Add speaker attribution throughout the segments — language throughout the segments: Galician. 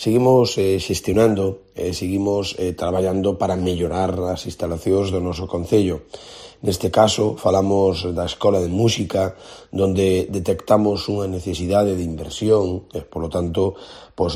Speaker 1: Seguimos xestionando, seguimos traballando para mellorar as instalacións do noso concello. Neste caso, falamos da Escola de Música, donde detectamos unha necesidade de inversión, e, polo tanto,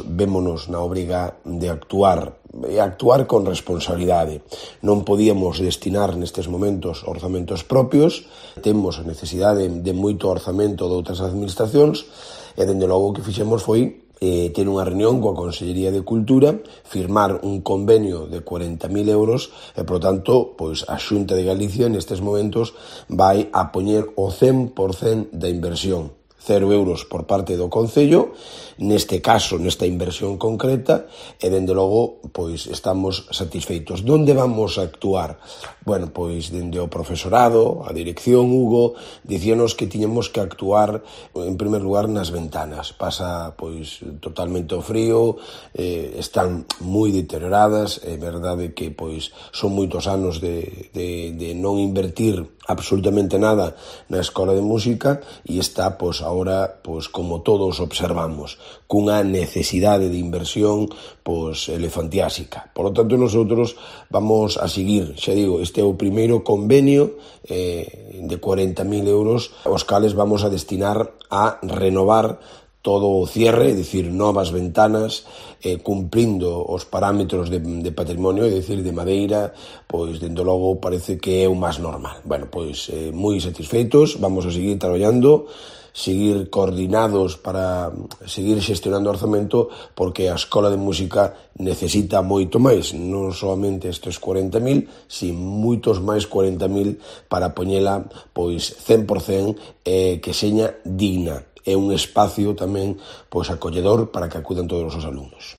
Speaker 1: vémonos na obriga de actuar, e actuar con responsabilidade. Non podíamos destinar nestes momentos orzamentos propios, temos a necesidade de moito orzamento de outras administracións, e, dende logo, o que fixemos foi ter unha reunión coa Consellería de Cultura, firmar un convenio de 40.000 euros e, por tanto, a Xunta de Galicia nestes momentos vai a poñer o 100% da inversión. 0 euros por parte do Concello, neste caso, nesta inversión concreta, e, dende logo, estamos satisfeitos. Donde vamos a actuar? Bueno, dende o profesorado, a dirección, Hugo, dicíanos que tiñamos que actuar, en primer lugar, nas ventanas. Pasa, totalmente o frío, están moi deterioradas, é verdade que, son moitos anos de non invertir absolutamente nada na Escola de Música e está, agora, como todos observamos, cunha necesidade de inversión, elefantiásica. Por lo tanto, nosotros vamos a seguir, xa digo, este é o primeiro convenio de 40.000 euros, os cales vamos a destinar a renovar todo o cierre, é dicir, novas ventanas, cumprindo os parámetros de patrimonio, é dicir, de madeira, dende logo parece que é o máis normal. Bueno, moi satisfeitos, vamos a seguir traballando, seguir coordinados para seguir xestionando o orzamento, porque a Escola de Música necesita moito máis, non solamente estes 40.000, sin moitos máis 40.000 para poñela 100% que seña digna. É un espacio tamén acolledor para que acudan todos os alumnos.